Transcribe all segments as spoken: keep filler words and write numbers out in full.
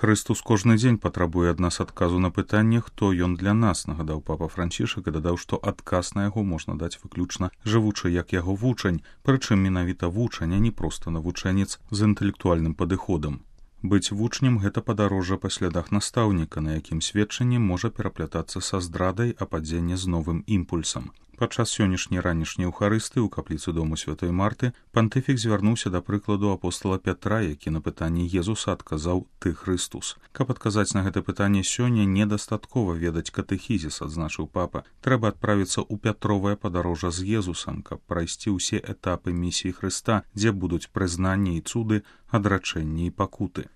Хрыстус кожны дзень патрабуе ад нас адказу на пытанне, хто ён для нас, нагадаў папа Францішак і дадаў, што адказ на яго можна даць выключна жывучы як яго вучань, прычым менавіта вучань, а не проста навучэнец з інтэлектуальным падыходам. Быць вучнем – гэта падарожжа па слядах настаўніка, на якім сведчанне можа пераплятацца са здрадай, а падзенне з новым імпульсам. Падчас сённяшняй ранішняй эўхарысты ў капліцы дому святой Марты пантыфік звярнуўся да прыкладу апостала Пятра, які на пытанне Езуса адказаў «Ты Хрыстус». Каб адказаць на гэта пытанне сёння, недастаткова ведаць катэхізіс, адзначыў папа. Трэба адправіцца ў Пятровае падарожжа з Езусам, каб прайсці ўсе этапы місіі Хрыста, дзе будуць прызнанне і цуды, адрачэнне і пакуты.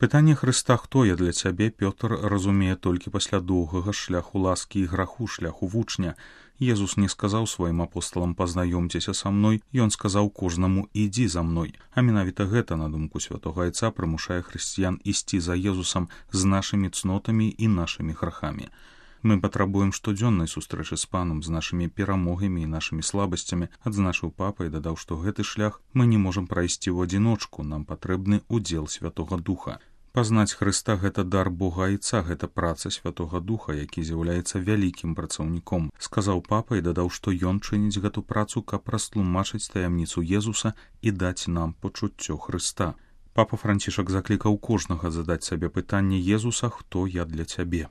Пытанне Хрыста «Хто я для цябе?» Пётр разумее толькі пасля доўгага шляху ласкі і граху, шляху вучня. Езус не сказаў сваім апосталам «Пазнаёмцеся са мной», ён сказаў кожнаму «Ідзі за мной». А менавіта гэта, на думку святога Айца, прымушае хрысціян ісці за Езусам з нашымі цнотамі і нашымі грахамі. Мы патрабуем штодзённай сустрэчы з панам, з нашымі перамогамі і нашымі слабасцямі, адзначыў папа і дадаў, што гэты шлях мы не можам прайсці ў адзіночку, нам патрэбны удзел Святога Духа. Пазнаць Хрыста – гэта дар Бога Айца, гэта праца Святога Духа, які з'яўляецца вялікім працаўніком, сказаў папа і дадаў, што ён чыніць гэту працу, каб растлумачыць таямніцу Езуса і даць нам пачуццё Хрыста. Папа Францішак заклікаў кожнага задаць сабе пытанне Езуса «Хто я для цябе?».